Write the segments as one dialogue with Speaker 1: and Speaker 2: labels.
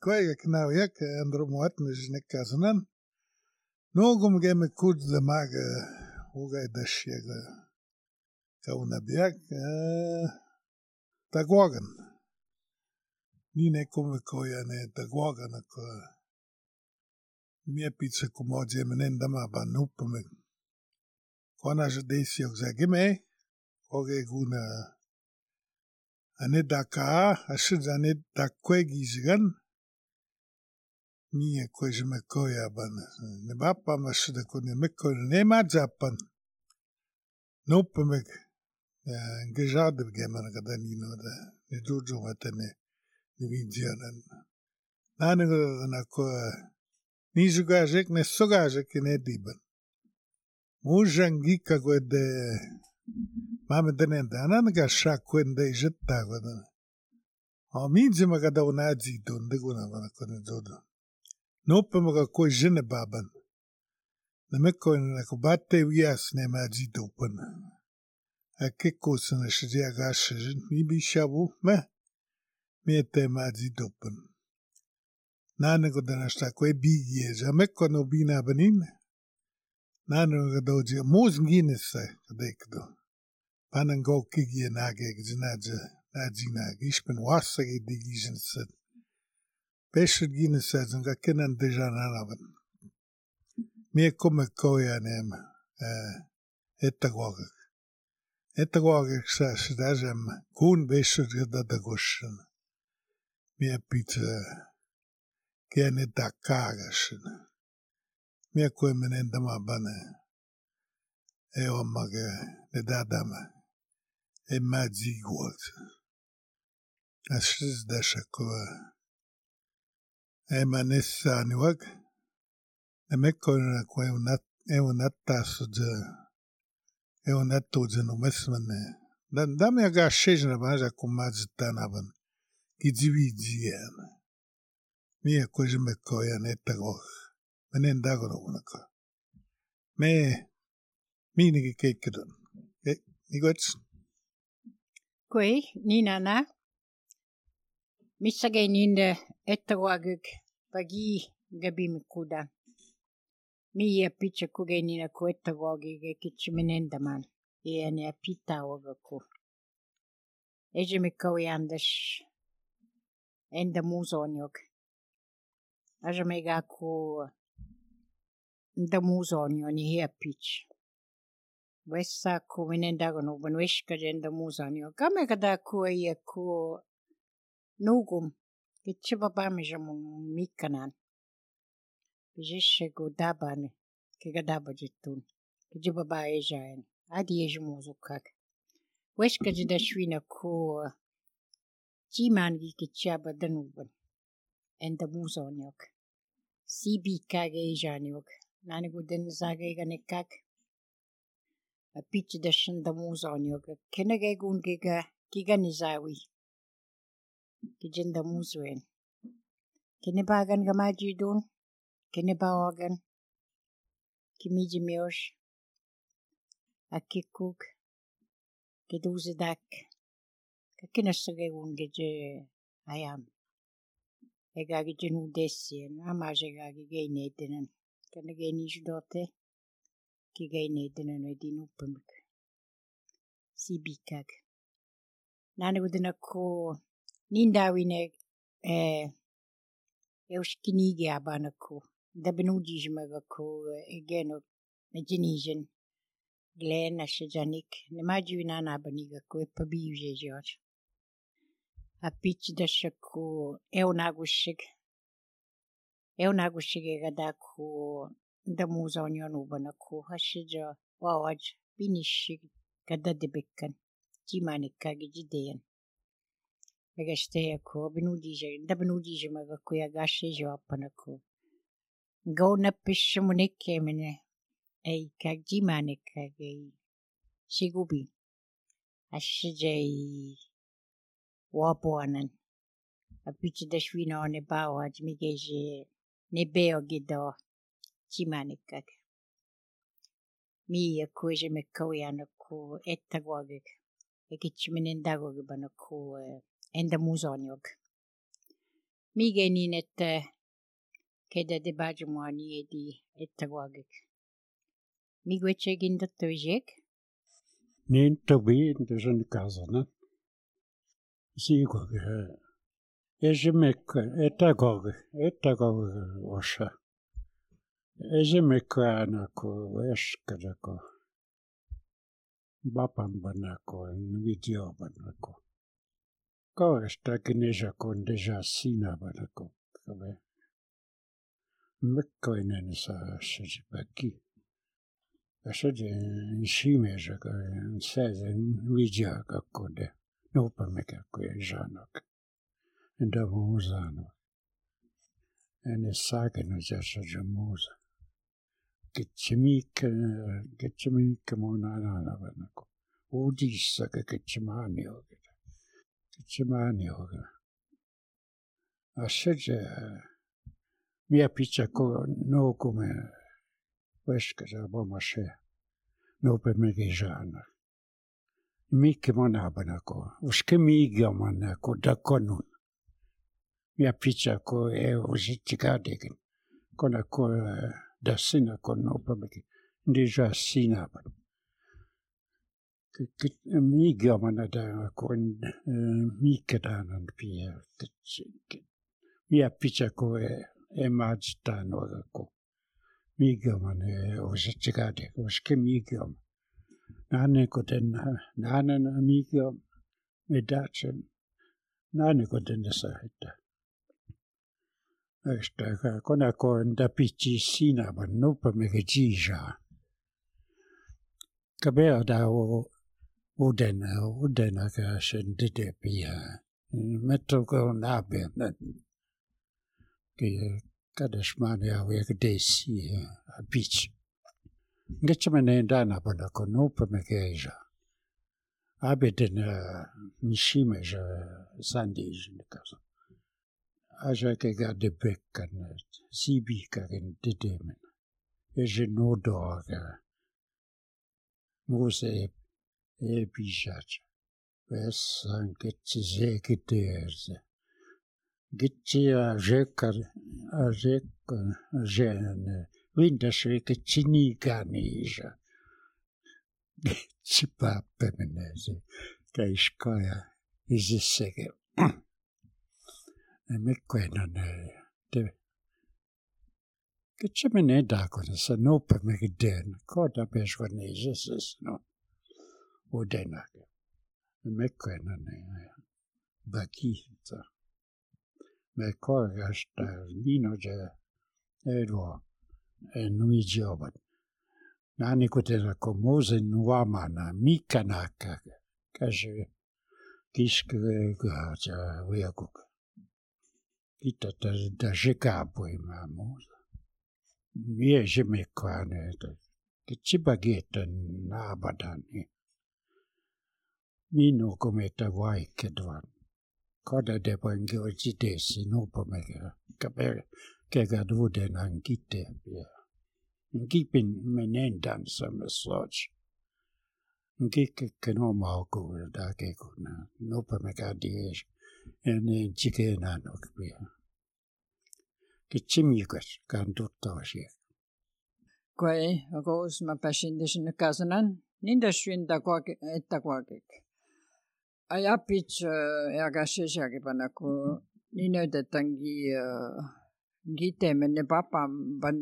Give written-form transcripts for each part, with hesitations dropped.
Speaker 1: Quaga Knauyak, Andrew Martin is Nikazanan. No gum game could the maga Uga the Shiga Kaunabiak Tagwagan. Nine Kumikoyane Tagwagan. Mia pizza kumoje menendama banupamik. Kona jadesi ogzagime. Oge guna. Anedaka, ashidzanet dakwegizigan. Mie kwejmekoya ban. Nebapa mashida kune mekoya nema japan. Nopamik. Ngejade gemana kadanino da. Nejuju matane. Nevidianan. Nanigo na ko. Nizugajek ne sogajek ne diban. Mujangika gwede. Mame denenda. Ananga shakwende jetta gwede. Minzi magada unazi donde guna wana kone jodo. Nope maga ko jene baban. Na meko na kubate wias ne maji dopen. Akeko sana shijia gashe nibi shabu me. Miete maji dopen. Nane ko dana sta kwe bigi ja meko no bina banin. Nane ko doji mos ngines sa kadekdo. Panango kigi nage gzinaja najina gishpen wasage digijen set. Pesher gines sa zunga kenan deja nanaban. Mie komme koya nem etagwagak. Etagwagak sa shidajem kun besher gadadagoshen. Mie pizza Kene dakagashin. Mie kwe menendama bane. Ewa mage nedadama. Maji gwalt. Ashiz dasha koa. Manessa niwag. Meko na kwe unatasu de. Unatu de no mesmane. Dame aga shejna baja kumazitanaban. Gijivijian. Mie koje me koya netago. Menendagoro unako. Mini gekeken. Nigots.
Speaker 2: Koi, Nina. Missage ninde etagwaguk bagi gabimikuda. Mie picha kuge nina ko etagwagige kichimenendaman. Iene apita wagaku. Eje me koyandash. Enda muzonyok. Aja mega ko nda muzonyo ni hia pitch. Wessa ko menendagono banweshka jenda muzonyo. Kame kada ko ia ko nugum. Kichiba bamijamun mikanan. Bijishe go dabane. Kiga daba jitun. Kijiba ba ejaen. Adi ejmuzukak. Weshka jenda shwina ko jimangi kichaba danuban. Enda muzonyok. Sibi kage ejanyok. Nani guden zage ganekak. A pitch da shinda muzonyok. Kenege gungiga kiga nizawi. Kijinda muzwen. Kinibagan gamajidun. Kinibawagan. Kimiji miosh. Akikuk. Kiduzidak. Kakinasage gungeje ayam. Egagi jenu desien. Amaje gagi gane dinen. Kanage nishdote. Kigane dinen edinu pumik. Sibikag. Nani gudina ko nindawine eushkinigi abanako. Dabenujijmaga ko egeno mejinijen. Glen ashajanik. Nemajuina nabaniga ko epabije George. A pitch dashako eunagushig. Eunagushig gadako da muzonyon ubanako. Hashija wawaj binishig gadadebekkan. Jimanikagi jideyan. Megashte ko benudije maga ko yagashe jawapanako. Go na pishamunike mene. Ei kagjimanikagi shigubi. Ashijay wabuanan. A pitch dashwina on bawaj migeje nebeo gido jimanikag. Mi koje me koyanako etagwagik. Ekichimenendagog banako enda muzonyog. Mikä niin, että ketä te pääsemään niitä ettäkuakik. Mikä etsekin tattuisek?
Speaker 3: Niin tobiin tuossa kasana. Siikukin. Esimerkiksi ettäkuakik osa. Esimerkiksi aina kun veskata kun vapampana kun videopana kun. Kauestakin isä kun desä sinäpana kun. Mekkoinen saa se päkki. Ja se on simessä kun se on videoka kun de. Nopa mikä kun ei saanut. Entä muu saanut. En saakenut se muuta. Kitsemiikka mun aina kun. Uudissa kitsemaani oikein. Kitsemaani oikein. Asseja mia pitää kun noukumme veskassa pomassa noupemmekin saana. Mikä monapana kun uske mikä mana kun dakonun. Mia pitää kun ei usitti kadekin. Kona kun dassina kun noupemmekin. Deja sinapan. Mikä mana da kun mikä danan pia. Mia pitää kun ei maattaa noita kun. Mikä mana usitti kadekin. Uske mikä mana. Näin kuten mikä me datsen. Näin kuten että. Ästä kona kun da pitää sinapan noupemmekin jiijaa. Kabeada udena sen dedepia. Metoko nabia. Kadesmania vielä desi beach. Getsemenen dana pada kun noupemmekin. Abeden nishimeja sandijin kanssa. Aja kega de bekkan sibikagen dedemen. Eje nodoaga. Muuse ei pisat. Vessan ketsi sekityössä. Ketsi jen vindasri ketsi niikaniisa. Ketsi pappe menee se käiskaja. Isissekin. Mekkoinen te. Ketsi menee daakonessa noupemmekin den. Koota pesvan isisses no. Udenakin. Mekkoinen väkihinta. Me korjasta viinoja eroa nuijobat. Näin kuten kun muusen nuomana mikä näkää. Käsi kiskreekaa ja viekuka. Kita tästä poimaa muuta. Mies mekkaan että kitsipakietän naabadani. Minun kometa vaikeudvan. Kada de pangi ojitesi nopomega. Kega dudenan kitteäpiä. Kipin menen dansamme soch. Kikken omaukuuden takekuna. Nopomega dies. Ennen chikenaan okpia. Kitsimikas kan tuttavasi.
Speaker 4: Kui koos mä pääsin sinne kasanan, niin tässä että kuakik. Ajapit ja käsissäkin panna, kun niin otetankin gitemen ne papan pan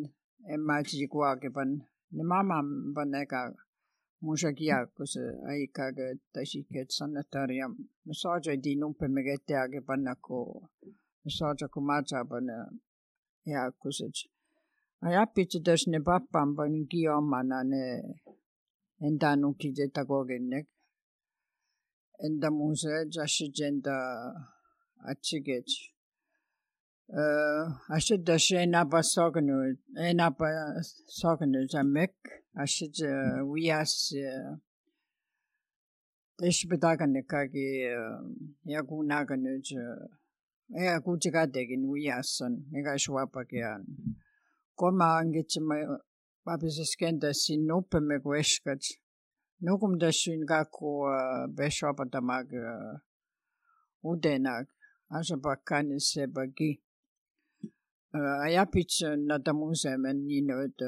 Speaker 4: en mä tiedä kuakipan ne mamman pan eikä musa kiakko se aika että siket sanataria me saaja di numpe me getääkin panna kun me saaja kun matsa panna ja kun se ajapit tässä ne papan pan kiomana ne entä nuki että kokennek entä musa jasjenta atsiget Ashida enapa sognu zamek ashid wias deshbedaganikagi yagunaganu yagujigadegin wiasan megashwapagian koma angitsma babisiskenda sinopeme gweshkat nukumdashin gaku beshopatamag udenag asapakkaani sebagi. Ajapits natamusemen niinoit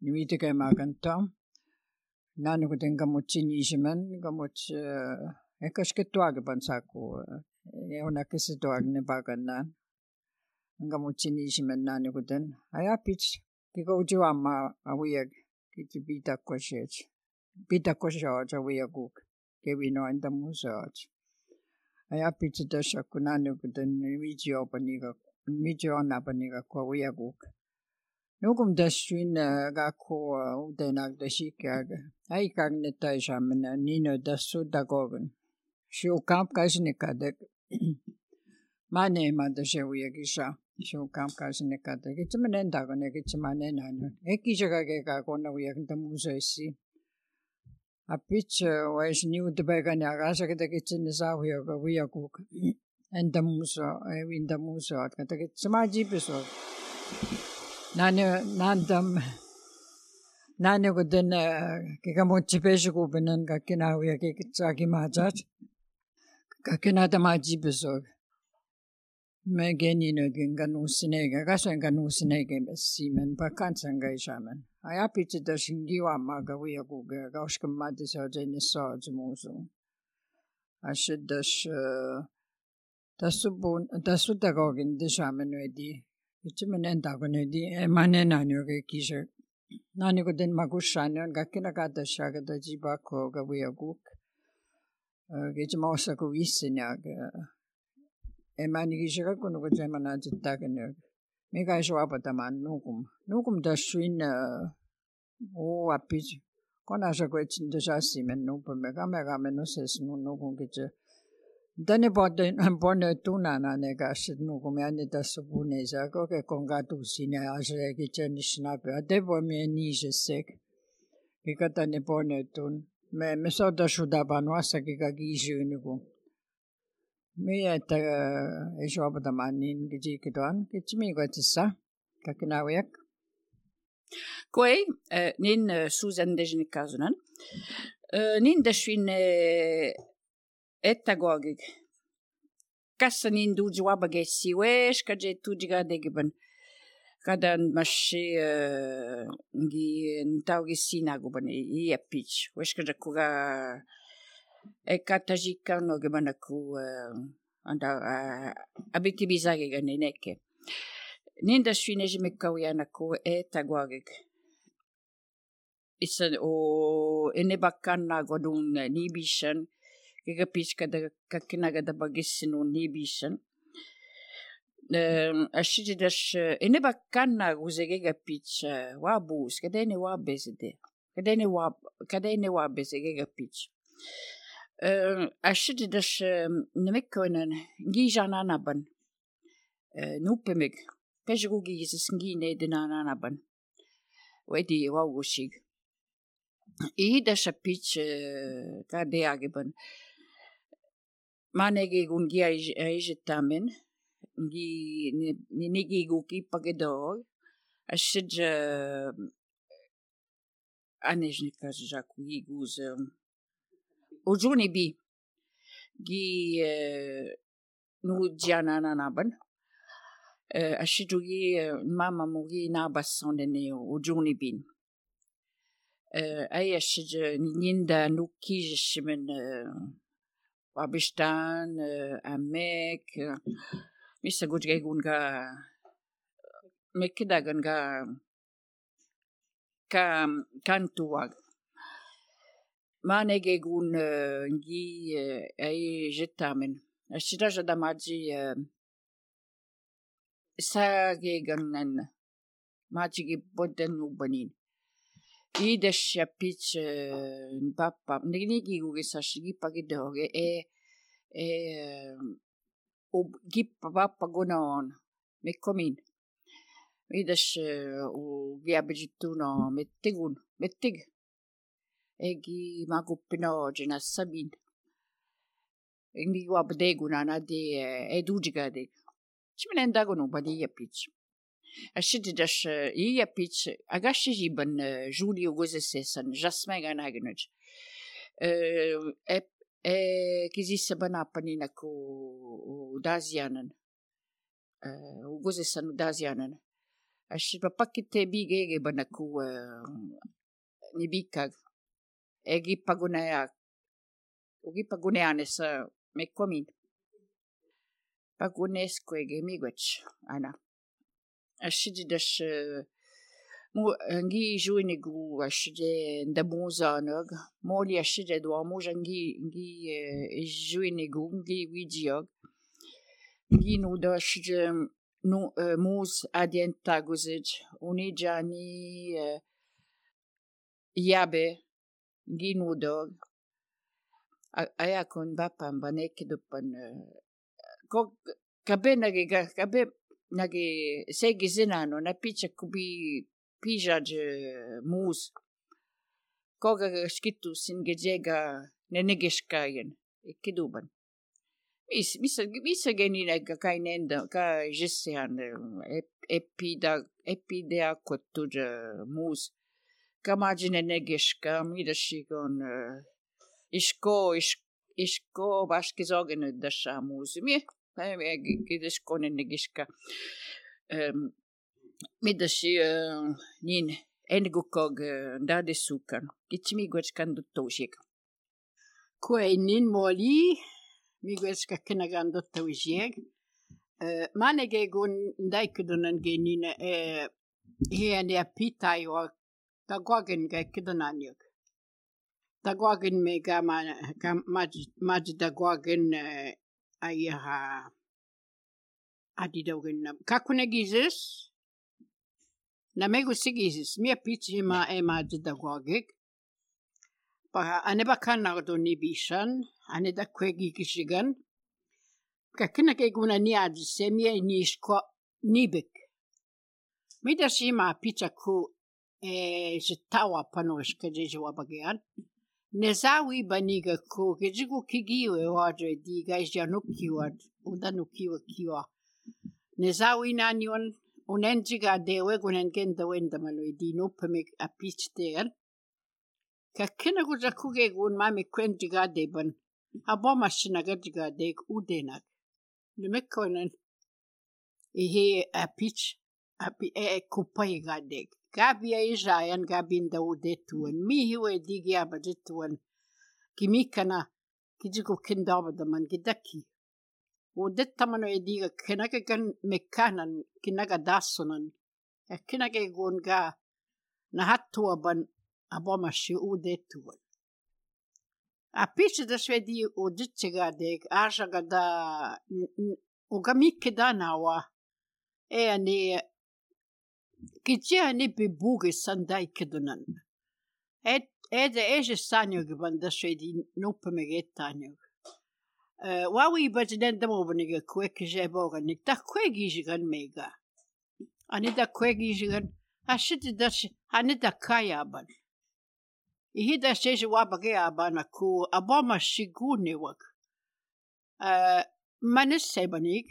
Speaker 4: nimitekemaakantaa. Naanukuten kamutsinisimen kamuts ekaskettuakipan saku eunakkesetuaknepakannaan. Kamutsinisimen naanukuten ajapits kikoujuamma awiak kiti pitakkosiaat awiakuk kevinoin tamuseat. Ajapits tasakku naanukuten mijoonapaniga awiakuk. Nukum tassuin kakku utenak tasikkiaga. Aikagnettaisaamena niino tassuutakogun. Siukaapkaisinikadek. Maneema taseuiakisa. Siukaapkaisinikadek. Itsemenen takone kitsemanenanu. Ekkisakakeka konawiak tamuseissi. Apits wais niutepekani akasaketa kitsenisaahuioka wiakuk. Endamuso, evindamuso, kata kitsemaajipiso. Nani kuten kikamutsipesikupinan kakkinahuja kikitsaakimaatsaat. Kakkinatamaajibisog. Me geninokin kanuussineikä, kasoin kanuussineikä messimen, pakkansankaisaamen. Ajapitsitas kivaammaaka viakuke, kauskamaatisootenisootumuusu. Asitas tassutakokin tisaamen vedi. Itsemenen takonedi emanenanioke kise. Nani kuten makussani on kakkinakaatassakata jibakko kaviakuk. Kitsemoossako vissiniak. Emani kisakakunu kutsemanaatittakanioke. Mikä suapatamaan nukum. Nukum tassuin appit. Konasako etsin tasassimen nupamme. Kameramen osesnun nukum kitse. Tänne ponne tunanane kanssa nukum jänni tässä puneisa koke konkatuusine aseekin tjennisnapia te voi mie niisessek kika tänne ponne tun me sota sudapan vassakin kiisyy nukum mie että ei suopatamaan niin kitikitoan kitsimi koitsissa kakkinauiak
Speaker 2: Koi niin Susan Dejnikasunan niin deshin ettagogik. Kassa niin duujuabagessi wesh kaje tujigadegiban. Kadan mashi ngi ntaugisinaguban iapich. Wesh kaja kuga ekatajika no gibanaku anda abitibizage ganeneke. Ninda shinejimekawiyanaku ettagogik. Isa o enebakanna godun nibishan. Kikapich kada kakkinagada bagissinun nibishan. Ashijidash enebakkanna guzegegapich wabus kadene wabesede. Kadene wabesegegapich. Ashijidash nemekkoinen gijananaban. Nuppemik. Pejrugizis nginedinanaban. Wedi wawushig. Idashapich kadeagiban. Manegi gungi aijetamen nigi guki pagedor ashij anejnikas jaku iguz ujuni bi gi nu jananaban ashijugi mama mugi nabasonene ujuni bin ay ashij ninda nukijishimen Wabistan, Amek, Mr. Gujgegun ga Mekidagan ga Kantuag. Manegegun ngi ay jetamen. Ashiraja damaji sageganan majigi boden ubanin. Ides yapich papa nigi gugisashigi pagidoge gippa papa gonon mekomin. Ides u giabijituno mettig egi maguppino jena sabin. Indi wabdegunana de edujigade. Chimenen dagonu badi yapich. Ashididash yapich agashijiban Julio gozesesan jasmin ganagnoj. Kisissa banapani ku dazianan. Ugozesan dazianan. Ashi papakite bigege banaku nibikag. Egi paguneane sa mekomin. Pagunesco ege migwech ana. Ashi dash ngi juinigu ashide ndamuza nog moli ashide do muja ngi juinigu ngi wijiog ngi no dashide no mus adientaguzij unijani yabe ngi no dog aya kon bapam baneke dupan ko kabe nage segi zinano na picha kubi pija de mus koga skitu singejega nenegeshkayen kiduban misa genina kainenda ka jesian epidea kotuja mus kamajine negeshka midashigon isko bashkizogen dasha mus mi gideskone negeshka midashi nin engukog ndade sukan kichmigwechkan duttoshik
Speaker 4: Kue nin moli migwechka kenagan dottowjeg manege gun ndaikudunan genina hiane apitayo tagwagen ga kidananyok tagwagen mega maj tagwagen ayaha adidogen kakunegizes na megu sigizis mia pichi ma maj tagwagek pa aneba kanardo nibishan aneda kwegi kishigan kakina ke guna niad semie nishko nibek midashima picha ku jitawa panoshka jewa bagian nezawi baniga ku kejigu kigiwe waje diga janukiwa udanukiwa kiwa nezawi nanyon unenjiga dewe gunengenda wenda malwe dino pemik apichtel kakina gujakuge gun mami kwenjiga deban aboma shinaga jiga deg udenak nemekonen ihe apich kupai gadeg Gabia Isayan Gabinda udetuan mi hiwe digia bajetuan kimikana kijigo kindaba man gidaki udetamano ediga kenaga gan mekanan kinaga dasunan kinaga gonga na hatua ban aboma shi udetuan apiche da swedi udichiga deg ajaga da ugamike danawa ane Kijia ni bibuge sandai kedunan. Eje sanyo gibanda shedi nope megetanyo. Wawi bajidenda mobaniga kweke jeboga ni da kwegi jigan mega. Anida kwegi jigan ashiti dash anida kaya ban. Ihida sheje wabage abana ku aboma shigune wak. Manisse banig.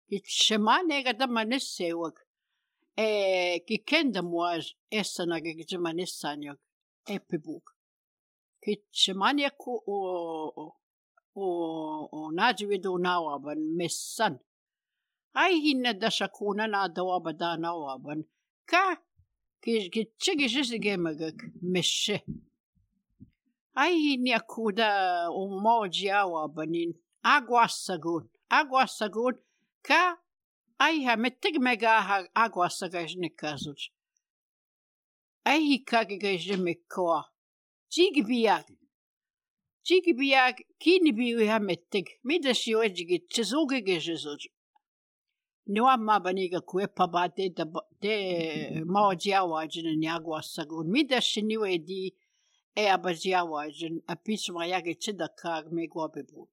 Speaker 4: Kitshemane gada manisse wak. Kikenda muaj esana gijmanisanyok epibuk. Kitshemania ku o najividu nawaban messan. Ai hinna dashakuna na dawabada nawaban. Ka kitchigishigemagak meshe. Ai hinna kuda umoji awabanin. Aguasagun ka Ai mettig mega agua sagajnikazuj. Ai kagajmikoa. Jigbiag kini biwi mettig. Midashi wejigi chizuge gejuzuj. Nuama baniga kuepa bade de maojiawajin agua sagun. Midashi niwe di abajiawajin apismayage chidakag megwabebu.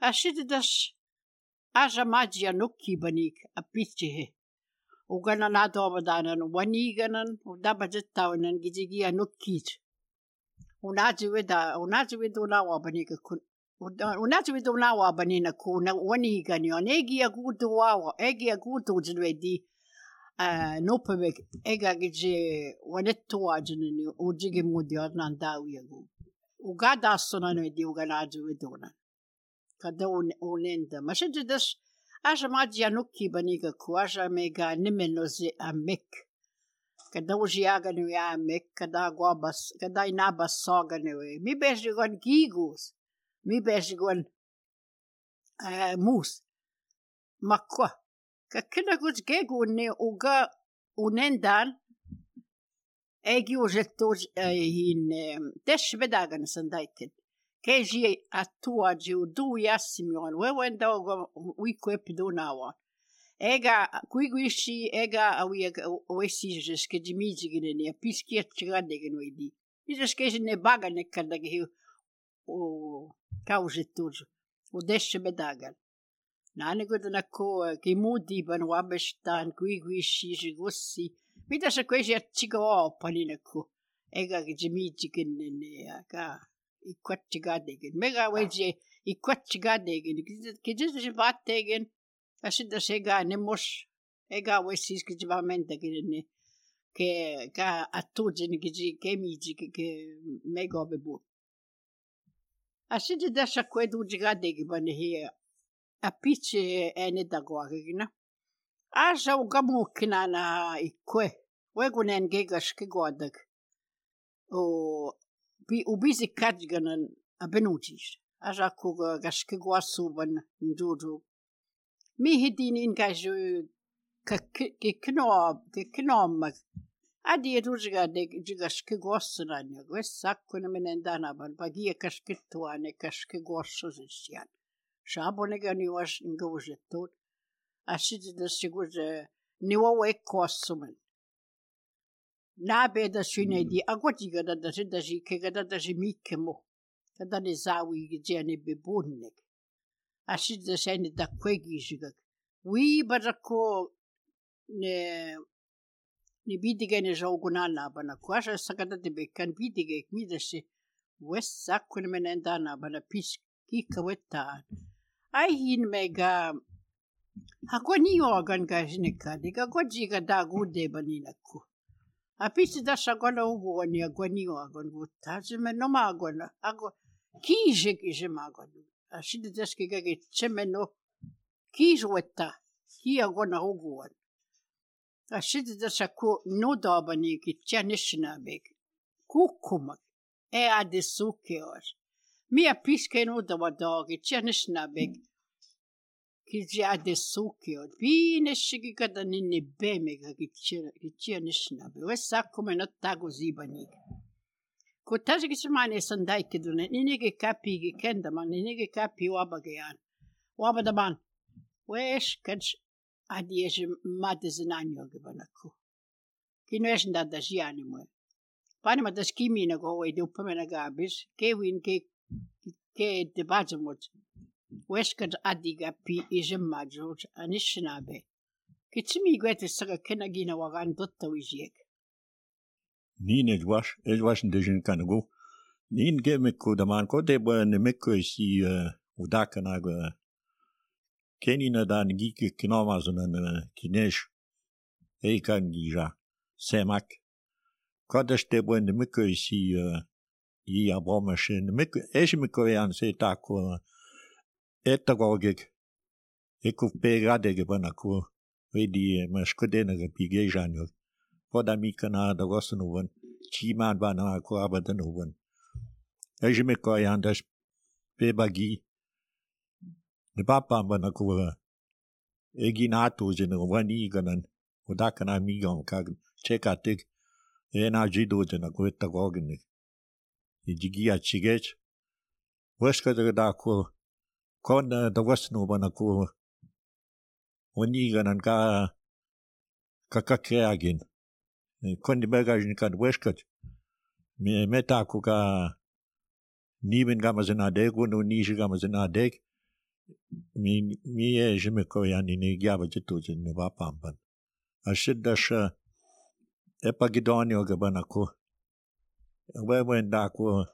Speaker 4: Ashidash Aja magia nuki banik apichihe. Ugana na dobadanan waniganan udabajetawanan gijigia nukij. Unaji widu nawa banika kun. Unaji widu nawa banina kuna waniganyon. Egi agudu jinwedi nopewek ega gije wanetuwa jinini ujigi mudi ornan dawi agu.
Speaker 5: Ugada sonan di uganaju iduna. Kada unenda. Mashididas aja madia nuki baniga kuaja mega nimenozi amek. Kada ujiaga no amek, kada guabas, kada inabas soga no. Mi bejigon gigus. Mi bejigon mus. Makwa. Kakina gus gegu ne uga unendan. Egi ujettuj in desh bedagan sandaiket. Keji atua jiu du yassimion. Wewenda wikwep dunawa. Ega kuiguishi ega awiga wesi jeske jimiji gine piski atchigade genoidi. Jeske ne baga ne kadagi o kaujettuj. O desh bedagan. Nane godana ko kimudi ban wabestan kuiguishi jigossi. Mitä se kuisi atchiga opalinaku ega jimijigin ne aka ikwatchigadegen mega weje ikwatchigadegen kijis vattegen asida sega nemos ega wesis kijvamendegen ne ke ka atujin kiji kemiji ke mega bebu asida dasha kwedu jigadegen ban hier apiche ene dagwagina Aja ugamu kinana ikwe. Wegunen gegas kigodak. Ubizi kadganan abenujis. Aja kuga gaskigwasuban njuju. Mi hidin ingaju kiknom. Adi rujiga de jigaskigwasunan. Wesakuna menendanaban. Bagia kaskituane kaskigwasuzisyan. Shabonegani was ingojetut. Asida siguje niwa kosumen. Nabe da sunedi agwatiga da sida jikega da jimikemo. Kada ne zawi gijene bebunnek. Asida sene da kwegi jigak. Wi badako ne bidigene jogunana bana kwasha sagada de bekan bidige midase west sakun menendana bana pis kikaweta. Ai hin mega Agoni organ gajnika, diga gojiga da gude baninaku. Apisi da shagona uguani agoni organ gutazime no magona. Kije kije magona. Ashida deski gage chemeno kijweta. Ki agona uguan. Ashida da shaku no dabani ki chanishna beg. Kukumak. Adesuke os. Mi apiske no da wadagi chanishna beg. Kijia de sukio, bine shigi kada nini bemega kichia nishnabe. Wesa kume no tago zibani. Kutaji kisimane sandai kidune, ninige kapi gikenda man, ninige kapi wabagayan. Wabadaban. Wesh kaj adieje madezinanyo gibanaku. Kino esh ndada jiani mwe. Pani madas kimi na go we de upamena gabis, ke win ke debajamot. Weskad adiga pi ijemajoj anishnabe. Kitimi gwete saga kenagina wagan dotta wijek.
Speaker 6: Nin edwash ndejin kanago. Nin gemeko daman ko deba nemeko si udakanago. Kenina dan gike kinamazonan kinesh. Eikan gija. Semak. Kodash deba nemeko si i abomashin. Eshmeko yan se tako. Etagogik. Ekuf pegadege banaku. Vedi maskudenega pigejanyo. Podamikana da gosnovan. Chiman bana ko abadanovan. Ejmeko yandash pebagi. Ne papa banaku. Eginato jeno vani ganan. Udakana migam kag. Chekatik. Ena jido jena ko etagognik. Ijigia chigech. Weskada dako. Kon da wasno banaku oniganan kakakreagin kon di bagajin kan weskat me metaku ka niben gamazena dego no nishi gamazena deg mi jeme ko yani ne gyaba jitu ne vapamban ashidash epagidonio gabanaku wendako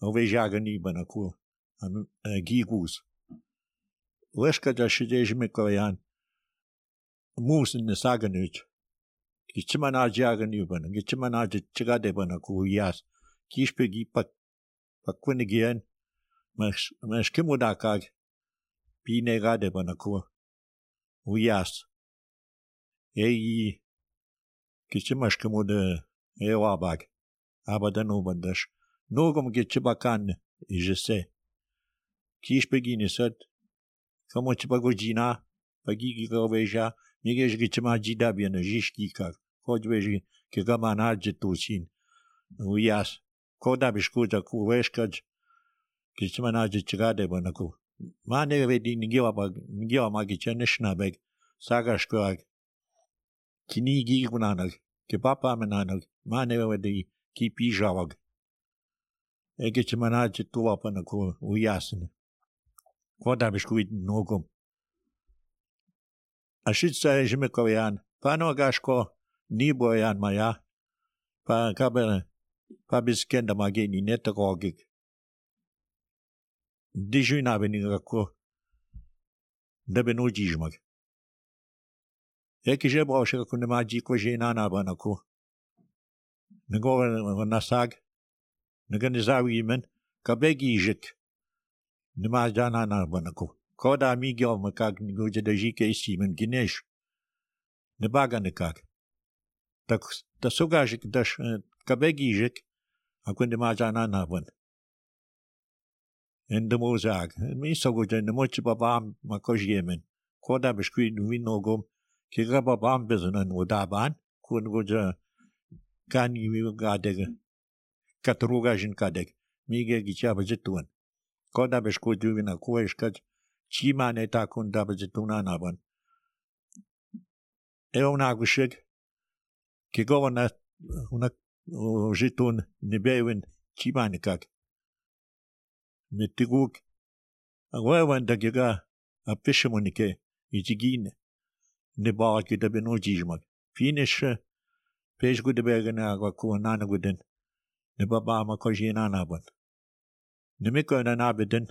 Speaker 6: ovejagani banaku gigus Weskat ashidejme koyan mus in the saganut. Gichmana jagan yuban, Gichmana chigade banaku yas, Kishpegi pat Pakunigian, mas kimudakag, pinegade banako, uyas. Kichimash kimude ewabag, abadanu bandash. Nogum gichibakan, je sais. Kish beginisat, como chibagojina, pagigi goveja, migej gichima jidabian, jishkika, kodveji, kigamana jitusin, uyas. Koda biskuta kuweskaj, kichimana jichigade banako. Mane vedi nigiwa magichanishna sagashkag, kinigi gunanag, kipapa menanag, mane vedi kipijawag. Egichimana jituwa panako uyasin. Koda biskuit nogum. Ashitsa jimikoyan, pano gashko, niboyan maya, pa kabel. Pabiskenda mageni netagogig. Dijuna benigako. Debenujijmag. Ekije brauche kunde maji ko jenana banako. Nego nasag. Neganizawi men kabegijik. Nemajana na banako. Koda migyo makag niguje de jike isimen ginesh. Nebaganekag. Tak tasugajik dash kabegijik. Akunde majana na ban. En de mozag. Mi sogoje ne mochi babam makojiemen. Koda biskuit winogum. Kiga babam bezanan udaban. Kun goja kani gadeg. Katrugajin kadeg. Mige gichabajetuan. Koda biskuit wina kueshkaj. Chima neta kun dabajetuna naban. Eonagushig. Kigovana una jitun nebewin chimanikak. Metiguk. Agwawan dagiga a fishermanike. Ijigine. Nebaki da benojijmak. Finish. Page good begana agwaku nanaguden. Nebaba makojina naban. Nemiko na nabeden.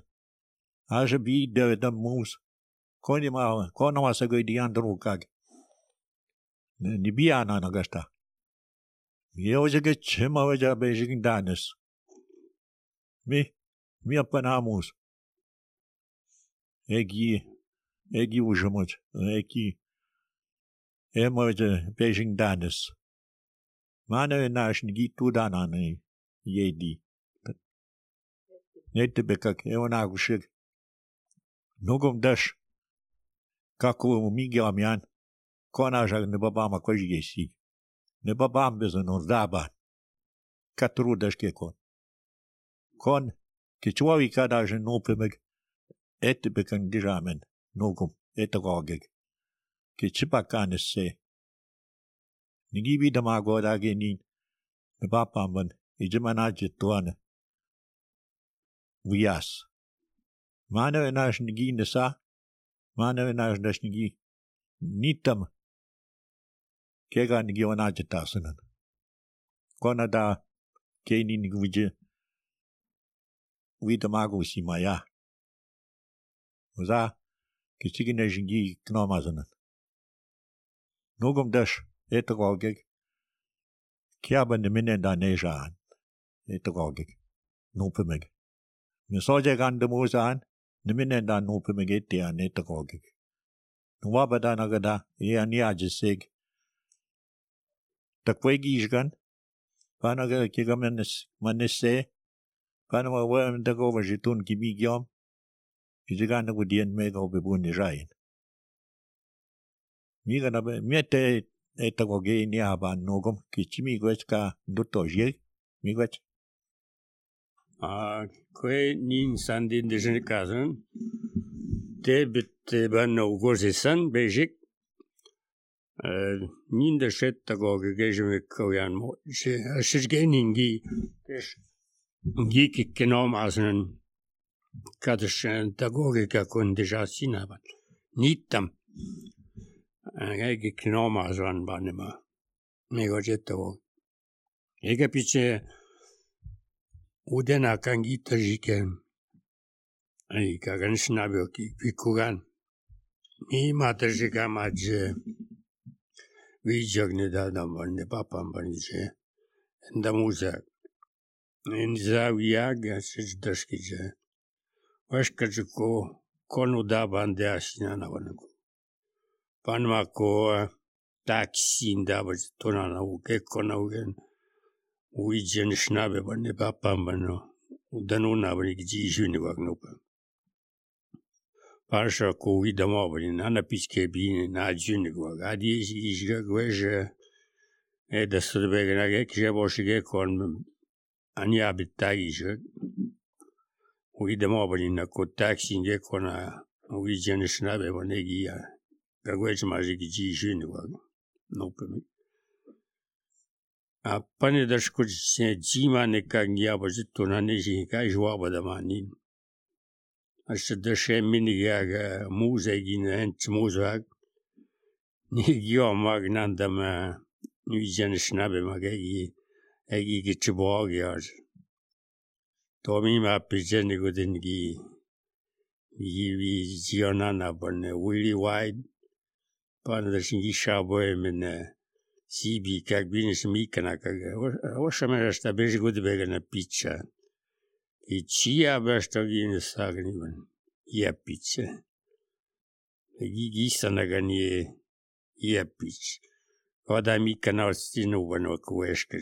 Speaker 6: Aja bi de moose. Kona masago di andrukag. Nibiana nagasta. Yoje chema waja beijing danis. Mi apanamus. Egi ujamut. Egi emoje beijing danis. Mana nash gitu danane yedi. Nette bekak eonagushig. Nogum dash. Kako migamian. Kona jag ne babama kojigesi. Ne babam bezon ordaban. Katru dashke kon. Kon kichwawi kadaj nopemeg et bekan diramen nogum etagogeg. Kichipakan se. Nigibi damago dagenin. Ne babamban ijmanaj tuan. Wias. Mana nash nigi nesa. Mana nash dash nigi. Nitam. Kega nigi wanaj tasanan. Kona da keni nigwije. Widamago simaya. Uza kichigina jingi knomazanan. Nogum dash etagogeg. Kiaban de minenda nejaan. Etagogeg. Nopemeg. Misoje gande mozaan. De minenda nopemeg etian etagogeg. Nwabada nagada niajisig. Takwegi isgan. Panaga kigamenes manesse. Panama wem dago jitun kibigyom. Ijigan gudien mega obebuni rain. Miga na miete etagoge ni aban nogum kichimi gwechka dutoje migwech.
Speaker 3: Kwe nin sandin de jenikazen. Te bit ban ugozisan bejik. Nin de shet tagoge gejme koyan mo. Shishgeningi. Giki kenom asnen. Kadish tagogika kun deja sinaban. Nitam. Ege kenom aswan banema. Mego jetagog. Ege piche udena kangita jiken. Ay kagan snabio ki pikugan. Mi matajika maje. Vijagne dadam ban de papam banije. Ndamuza. in zawiyaga sejdaskija. Washkajuko kono dabande ashinana wanaku. Panmako taxi ndaba tonana uke kona ugen. Uijen schnabe bane papambano. Udanuna bane gijishuni wagnopa. Parsha ko idamo bane nana pichke bine na juni wag. Adi ishga gweje. Da sudbegna ge boshige kon ania bitagije. Idemo bane na ko taxi ge kona uijen schnabe bane gia. Gagweje maji gijishuni wag. Nope me. A pane da škoč se džima neka nja bože to na neži kaj žvaba da manin. A še da še mini ga muze gine enč muzak. Ni gjo mag nandam viđen šnabe mag egi gi čebog jaž. To mi ima piđeni godin gi vi zionana bane Willy White. Pane da šin gi šaboje mene Sibi как бинеш микана как ошаме шта беж год бегана пича и чия башта гин сагниван я пича ги санагани я пич вода микана стину вано куешка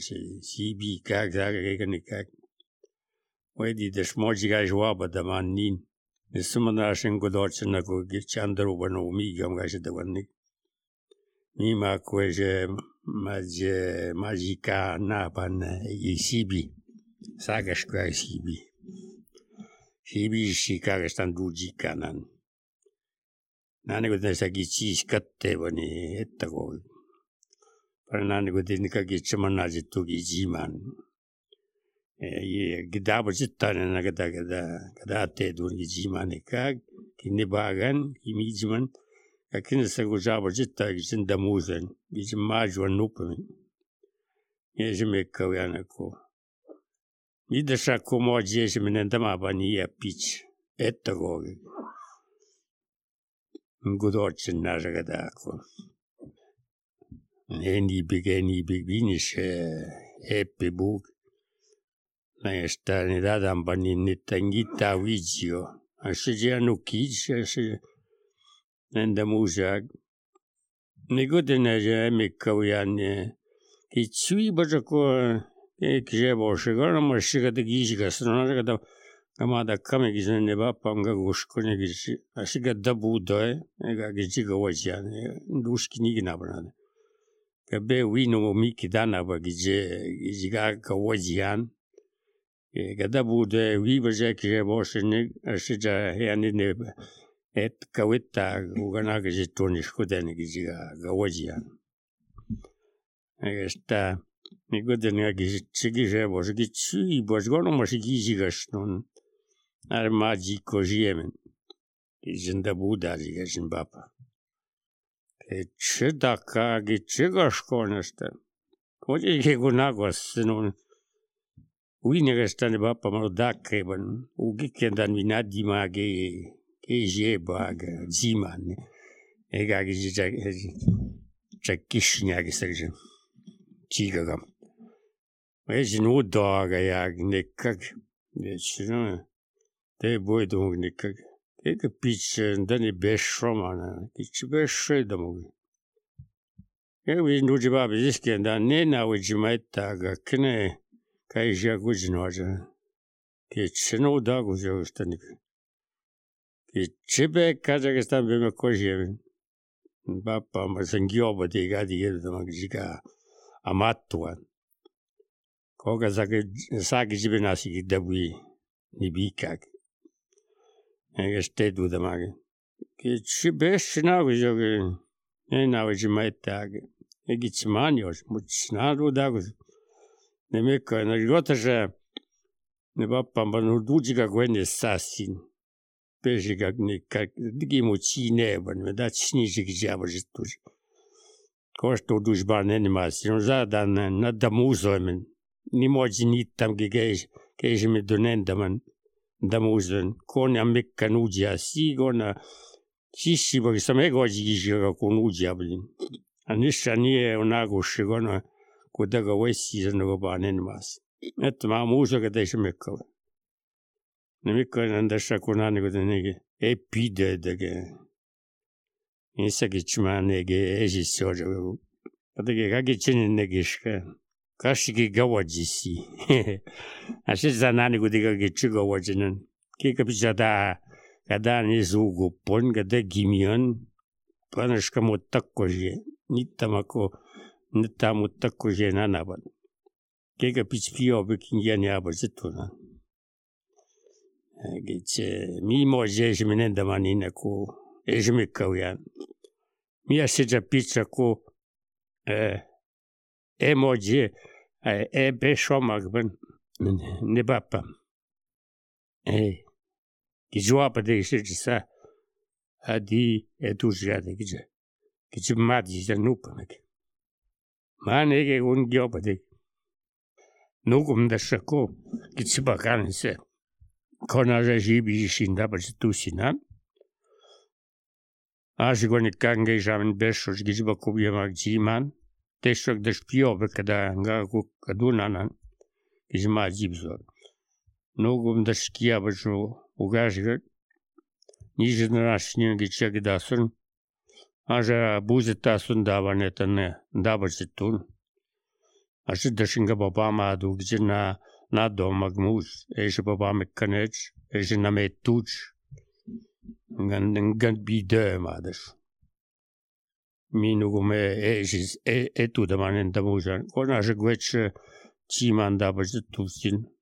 Speaker 3: Sibi как загагани как Wedi de smojga jwaba da manin ne sumana shin godorchna ko gi chandru vano migam gash da vanni Mima kweje majika napan Sibi. Sagas kwa Sibi. Sibi shikaga stan duji kanan. Nani godin sagi chis katte bani ettago. Par nani godin kagi chamanaji tugi jiman. Gidaba jittane na gada te dungi jiman kag kinibagan imijiman. Akin sa gujaba jitta gijin damuzen gijin majwa nupami yejime kawyana ko midasha ko mo jejime nendama bani ya pitch ettago ngudorchin najagada ko eni big binish epi bug na esta ni dadam bani nitangita vigio ashijianu kij Nenda muzak. Nigodene je mikawyan ki chui bajako kje boshigana mashiga de gijiga srona da kamada kame gizne ne ba pamga goshkone gizi ashiga dabu doy ega gijiga wajyan dushki nigna bana. Kabe wino miki dana ba gijiga ka wajyan gada bu doy wi baje kje boshne ashija yani ne Et kawita ugana gizitoni shkudeni giziga gawajian. Esta nigodeni giziga bosh gizi bosh gono mosh giziga shnon. Ar maji kojiemen. Gizinda buda ziga zimbapa. Chedaka giziga shkonesta. Koji ge gunagwas snon. Uinega stane bapa mrodakreban. Ugikendan vinadi mage. Eje bag ziman ega gizja chakishnya gisagje chigagam ejin udaga ya nekak nechno te boydung nekak ega pitch ndani beshromana pitch beshedamo ewi nujiba biskenda nena wijimaita ga kne kaija gujnoja ke chno dago jostanik Chibe Kazakhstan bime kojevin. Bapa masangioba de gadi yedama giga amatwa. Koga sagi jibe nasi dabwi nibikak. Ega stedu damage. Ke chibe shna gojoge na wajimaitag. Egi chmanios muchna dagus. Nemeka na gotaja ne bapa manudujiga gwene sasin. Pejiga nikak digimo chine ban da chini jigjabar jitus kosto dujban animation zadan na damuzomen ni mojini tam gege kejme donendaman damuzen kon amek kanuja sigona chishi bag samego jiga konuja blin anishani onago shigona kodaga wesi zanogo banen mas että mä muusakin teissä mekkalle. Ne mekkainen tässä kun aina kun ne ei pidä tekee. Niissäkin mä nege esissoja. Jotenkin kaikki sinne negiska. Kashikin gawajisi. Asitsa nani kun tikakin chigawajinen. Kika pitää kada ni suukupon kada gimion. Panaska mutakkoje. Niitä mutakkoje nanavan. Kika pitää bikin jani abazituna. Gitse mimoje jeminen damanina ku ejmikauyan. Miasija pitää ku emoji beshomakben ne bappa. Gijwapa de shisa adi etujade gije. Gijmadi janupamek. Manege un gyopade. Nugum da shako gijbakanse. Konaja jibi shinda bajitusina. Ajigoni kange jamin beshosh gijbakubiyamak jiman. Teshok da shpiobe kada ngaku kadunanan. Gijma jibzor. Nugum da shkia bajo ugajigat. Нижнерашние гичаги даsun. Aja buzetasun davanetane dabajitun. Aşı dışınga babama adu gicina na domagmus. Eşi babam ekkaneç. Eşi nametuç. Gan bide madış. Minugume eşis etu da manen damujan. Konaşı güç çiman dabajitusin.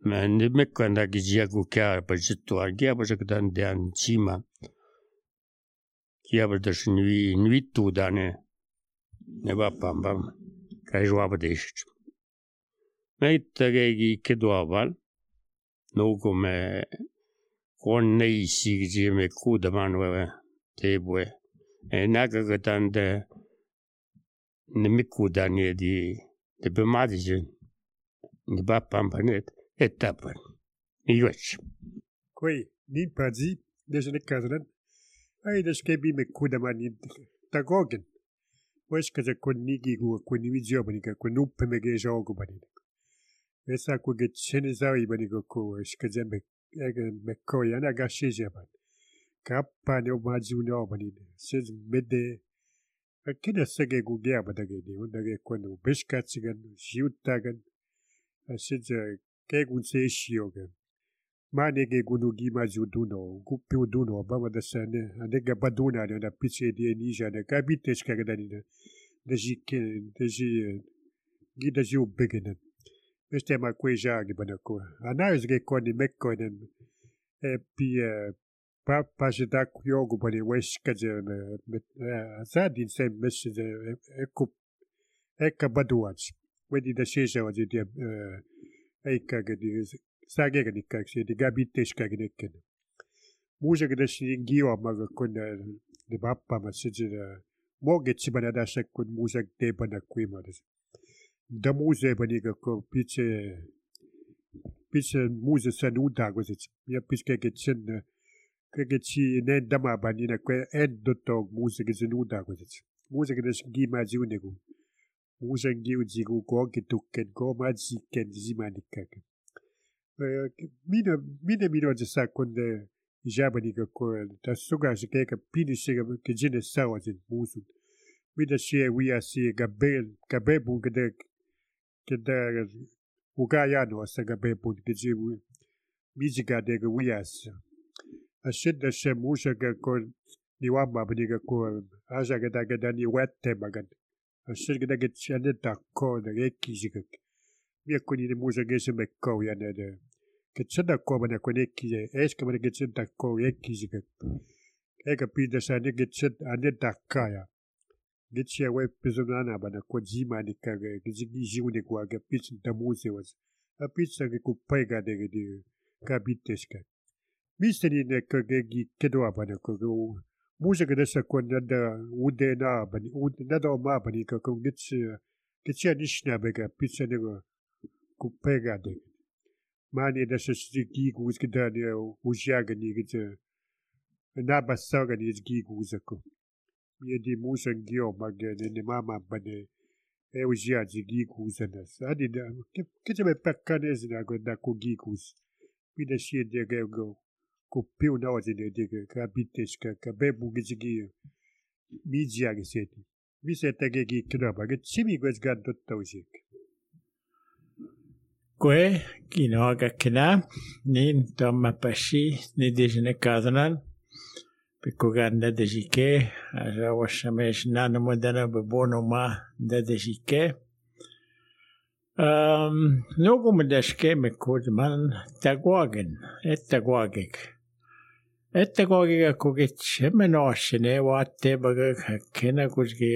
Speaker 3: Men ne mekkanda gijiagu kya bajitu argia bajagdan dan çiman. Kya badaş nui tu dane. Ne bapam bam. Kajwa değişir. Meittagegi keduaval. Nugume konne isigime kudaman ve tebue. Nagagatan de nemikudan yedi de bemadijin. Ne bapam banet etapan. Iwech.
Speaker 7: Koi ni pazi desne kazran. Ai deskebi me kudaman tagogen. Wes kaza konigi gu koni video banika konupe mege jogo banika. Esa ku get chenezai banika ko eskaza me koyana gasheja ban. Kappa ne omazu no banika. Sez mede akida sage gu gea badage de undage kono beshkatsigan jiutagan. Sez ke gun se shiogan. Manege gunu gima juduno gupi uduno bama da sane anega baduna na piche de nija na kabites kagadani da jike da ji gida ju begenen este ma kweja gi banako anais ge koni mekkonen e pi pa jeda yogu bani wes kaje azadin se message eka baduach wedi da sheja wadi de eka gadi Sage gani kakse de gabites kagneken. Muja gada shingiwa maga kon de bappa ma sijira moge chibana da shakun muja de bana kuima des. Da muja baniga ko piche muja sanuda gozit. Ya piche ke chen ke chi ne dama banina ko en dotog muja ge sanuda gozit. Muja gada shingima jiunego. Muja ngiu jigu ko ke tukken ko ma jiken jimanikak. Mina sa konde jabaniga ko ta suga shikeka pini shiga ke jine sawa jin musu. Mina shie wia si gabebu gede ugayano asa gabebu gede mijiga dega wias. Ashid da she musha ga ko niwamba baniga ko aja gada ni wette magan. Ashid gada get chaneta ko da eki jigak. Mia kuni ni musa gese me ko ya ne de ke tsada ko bana ko ne ki es ke bana ke tsada ko ye ki jika e ka pi da sa ne ke tsada ane da ka ya ge tsia we pizona bana ko jima ni ka ge jigi jiu ne ko ga pi da musa was a pi sa ge ku pega de ka biteska misteri ne ka ge gi kedo bana ko musa ge da sa ko da ude na bani ude da do ma bani ka ko ge tsia ni shna bega pi sa ne kupega de mani da se gigu skida de ujaga ni gite na basaga ni gigu zako mi di musa gio magene ne mama bane usiaji giikuusana saadi da kete pekkanesina ko da ko giikuus mida sie de go ko piu na wati de ka bites ka bebu gigi media geseti vi sette gi knaba get simi gwes gad dottawsik
Speaker 3: Kue kinoaga kina nin tomma pashi ni dijine kazanan pikuganda dejike aja washamesh nana modana bebono ma da dejike nogu medashke mekud man tagwagen ettagwagik kugit shemenoshine watte bagak kena kujge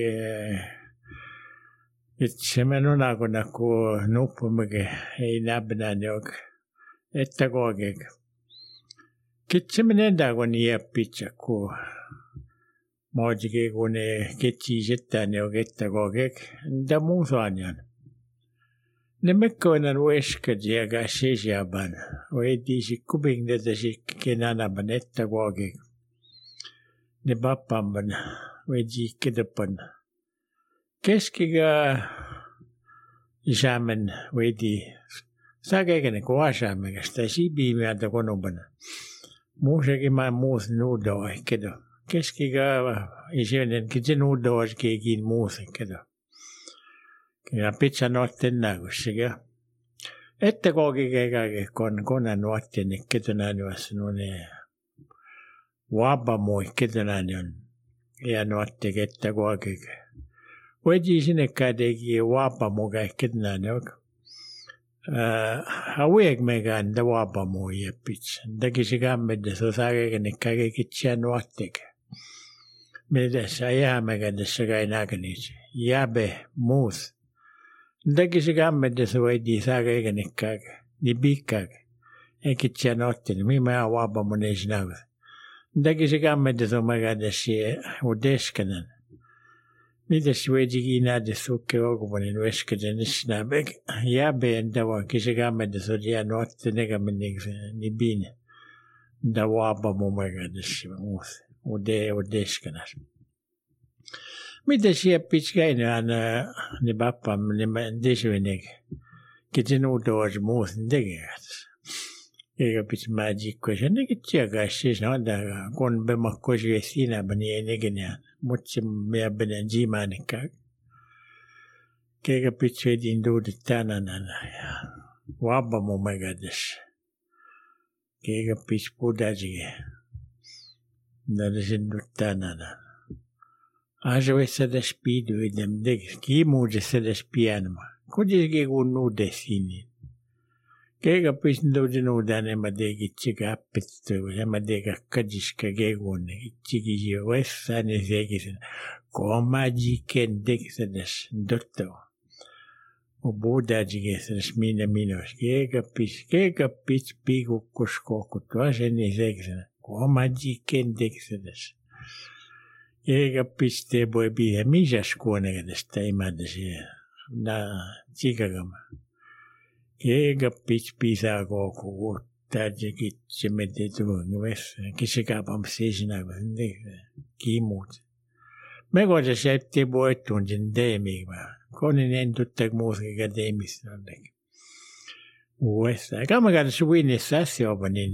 Speaker 3: Itsemenuna kuna ku nupumage ei nabnanyok ettagogek. Kitsemenenda kun iäppitsä ku maajike kun kitsiisettanyok ettagogek nda muusaanjan. Ne mekkoinen ueskadi aga sisiaban oediisi kubingdedasik kenanaban ettagogek. Ne pappamban oediikkedepan. Keskiga isaamen veidi sagegene kuasaamen sitä sibiimieltä konubana. Muusekin mä muus nuudoa kedo. Keskiga isaamen kitse nuudoa kekin muus kedo. Ja pitsa notten näkysikä. Ette koki kekake kona nuotten ketönään juossa nuone wabamoi ketönään on. Ja nuotte kettä koki. Wedi sinne kädegi wapa muga ketnanok. Hauek megan da wapa mu ja pitch. Da kisigamme so sagegen kage kitchen wattek. Me sa ja megan da sagai naganich. Jabe mus. Da kisigamme so wedi sagegen kage. Ni bikag. E kitchen watten mi ma wapa mu nejnav. Da kisigamme so megan da si udeskenan. Mitä suojiki nähdä sukke alkuvainen vesketen snabek ja benda vaan kisekämmentä sodia nuotte nekämenniksi ni bin da wapa mumegadessa muus udeskenas. Mitä siellä pitkäinään ni pappam ni desuinek kiten uudous muus tegeät. Eikä pitää magiikkoja sen nekin siis no da kun bemakkoisi siinä bani enegenään. Mutta me benen jimanikka. Kega pitche din dude tanana. Wabba mo megades. Kega pitch budajige. Nadasin tanana. Ajo essa da spidu idem deg. Ki mude se da spianma. Kudis kun nude sini. Kega pitch dude nudane madegi chiga appetto. Madega kajiska gegone. Chigi wessa ne segisen. Komaji kendexedes dotto. O budajigeses minos. Kega pitch pigu kuskoko. Tuase ne segisen. Komaji kendexedes. Kega pitch te boi bihe. Misas kuonegedes teimadesi. Na chigagama. Kega pitch pisa koko. Tadje kitse med det tungeves. Kisekapam seisinaga. Kimut. Me kohdassa septi voittuunsin teemiä. Konin en tuttag muusikin teemistä. Uudessa. Kama kada suinissa asioita niin.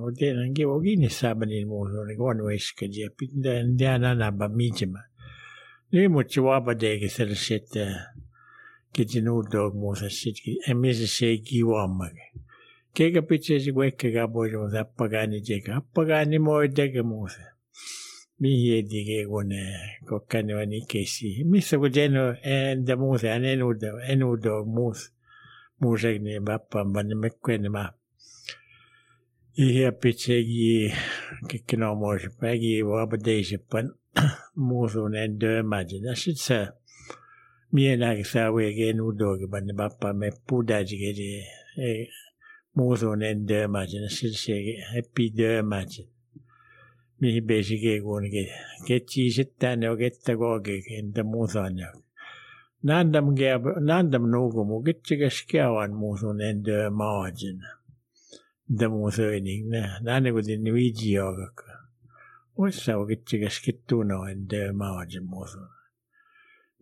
Speaker 3: Otetaan kivo kiinnissä niin muusuun. Kun veiskadi ja pitää nanaba miitsemä. Nyt mutta vapa teki sellaiset. Kitsin uudog muusassa. En missä se ei kivoammakin. Kega pitchesi kuekkaga pois appagani teka. Appagani moi tekemuuse. Mihin dige kun kokkani on ikesi. Missä kun jeno enda muuse an enudo muus. Muusegni vappan vanne mekkuenema. Ihe pitchegi kikkino moise pägi vapadeiseppan muusuun en dömäji. Tässä se mienäkin saa ueke enudogi vanne vappan me pudajigi. Muusuun en dömäji. Sitten se heppi dömäji. Mihin besike kuitenkin. Ketsiiset tänne on kettä kokeekin, entä muusaan. Nandam nukumu, ketsikäs kävan muusun en dömäjin. Entä muusöining. Nänne kuitenkin viijiakakka. Oissa on ketsikäs kettuno en dömäjin muusun.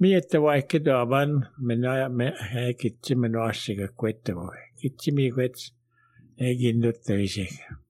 Speaker 3: Miettä vaikka tuovan, me kitsi me noassiga kuetta voi. Kitsi mi kuets, ei kinnuttu isek.